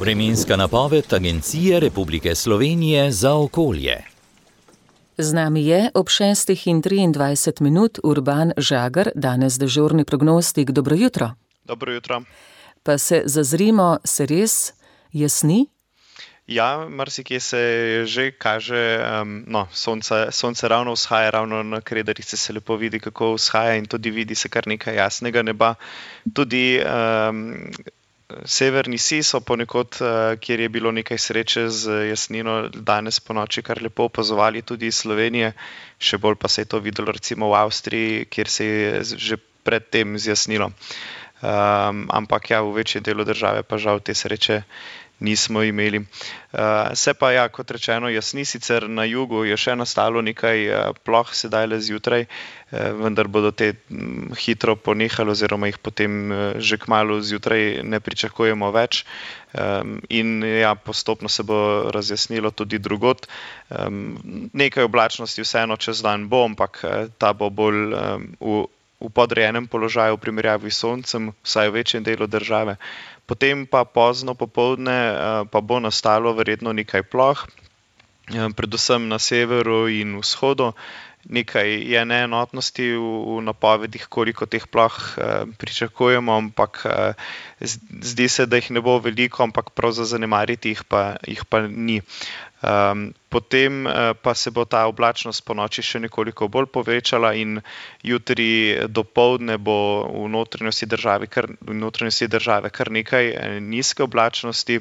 Vremenska napoved Agencije Republike Slovenije za okolje. Z nami je ob 6:23 Urban Žagar, danes dežurni prognostik. Dobro jutro. Dobro jutro. Pa se zazrimo, se res jasni? Ja, marsikje se že kaže, sonce ravno vzhaja, ravno na Kredarici se lepo vidi, kako vzhaja, in tudi vidi se kar nekaj jasnega neba. Tudi severni sij so ponekod, kjer je bilo nekaj sreče z jasnino, danes po noči kar lepo opazovali tudi iz Slovenije. Še bolj pa se je to videlo recimo v Avstriji, kjer se je že predtem zjasnilo. Ampak ja, v večjem delu države pa žal te sreče nismo imeli. Se pa ja, kot rečeno, jasni, sicer na jugu je še nastalo nekaj ploh sedaj le zjutraj, vendar bodo te hitro ponehali oziroma jih potem že kmalu zjutraj ne pričakujemo več. In ja, postopno se bo razjasnilo tudi drugod. Nekaj oblačnosti vseeno čez dan bo, ampak ta bo bolj v podrejenem položaju v primerjavi s soncem, vsaj v večjem delu države. Potem pa pozno popoldne pa bo nastalo verjetno nekaj ploh, predvsem na severu in vzhodu. Nekaj je neenotnosti v napovedih, koliko teh ploh pričakujemo, ampak zdi se, da jih ne bo veliko, ampak prav za zanemariti jih pa ni. Potem pa se bo ta oblačnost ponoči še nekoliko bolj povečala in jutri dopoldne bo v notranjosti države kar nekaj nizke oblačnosti,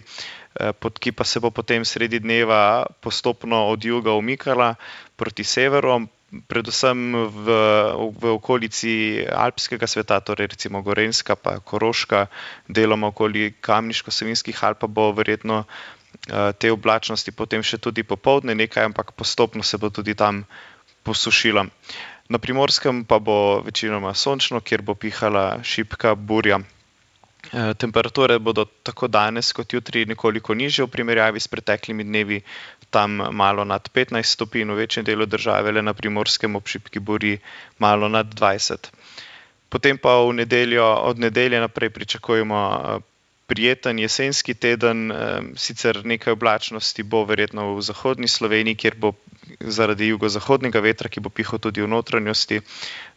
ki pa se bo potem sredi dneva postopno od juga umikala proti severu, predvsem v okolici alpskega sveta, torej recimo Gorenjska pa Koroška, deloma okoli Kamniško-Savinjskih Alp pa bo verjetno te oblačnosti potem še tudi popoldne nekaj, ampak postopno se bo tudi tam posušila. Na Primorskem pa bo večinoma sončno, kjer bo pihala šibka burja. Temperature bodo tako danes kot jutri nekoliko nižje v primerjavi s preteklimi dnevi, tam malo nad 15 stopinj, v večjem delu države, le na Primorskem ob šibki burji malo nad 20. Potem pa od nedelje naprej pričakujemo prijeten jesenski teden, sicer nekaj oblačnosti bo verjetno v zahodni Sloveniji, kjer bo zaradi jugozahodnega vetra, ki bo pihal tudi v notranjosti,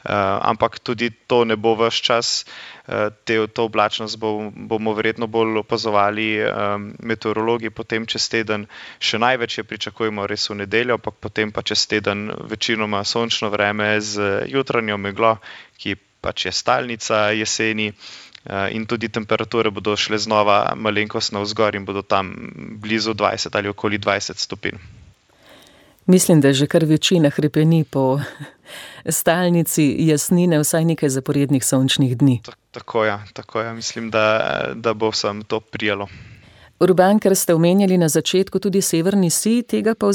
ampak tudi to ne bo ves čas. To oblačnost bomo verjetno bolj opazovali meteorologi potem čez teden. Še največ je pričakujemo res v nedeljo, ampak potem pa čez teden večinoma sončno vreme z jutranjo meglo, ki pač je stalnica jeseni. In tudi temperature bodo šle znova malenkost navzgor in bodo tam blizu 20 ali okoli 20 stopinj. Mislim, da že kar večina hrepeni po stalnici jasnine vsaj nekaj zaporednih sončnih dni. Tako ja. Mislim, da bo vsem to prijalo. Urban, ker ste omenjali na začetku tudi severni sij, tega pa v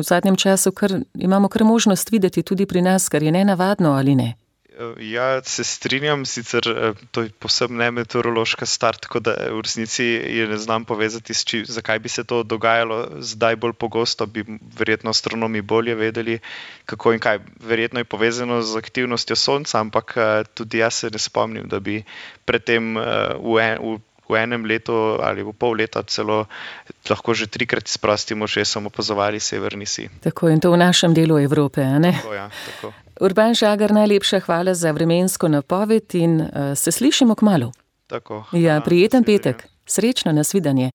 zadnjem času imamo kar možnost videti tudi pri nas, kar je nenavadno, ali ne? Ja, se strinjam, sicer to je povsem ne meteorološka stvar, tako da v resnici je ne znam povezati, zakaj bi se to dogajalo zdaj bolj pogosto, bi verjetno astronomi bolje vedeli, kako in kaj. Verjetno je povezano z aktivnostjo sonca, ampak tudi jaz se ne spomnim, da bi predtem v enem letu ali v pol leta celo lahko že 3-krat s prostim očesom opazovali severni sij. Tako, in to v našem delu Evrope, a ne? Tako, ja, tako. Urban Žagar, najlepša hvala za vremensko napoved in se slišimo kmalu. Tako. Ja, prijeten petek. Srečno, nasvidenje.